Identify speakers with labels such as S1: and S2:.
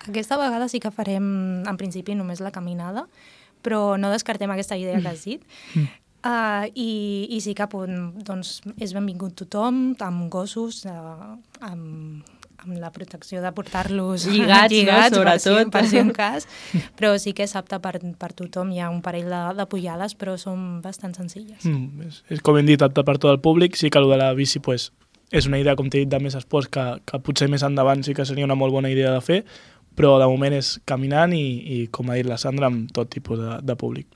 S1: Aquesta vegada sí que farem, en principi, només la caminada, però no descartem aquesta idea que has dit. I sí que doncs, és benvingut tothom, amb gossos, amb la protecció de portar-los
S2: lligats, no? Sobretot.
S1: per si un cas, però sí que és apte per tothom. Hi ha un parell de pujades, però són bastant senzilles.
S3: És com hem dit, apte per tot el públic. Sí que el de la bici pues, és una idea, com t'he dit, de més esports que potser més endavant sí que seria una molt bona idea de fer, però de moment és caminant i com ha dit la Sandra, amb tot tipus de públic.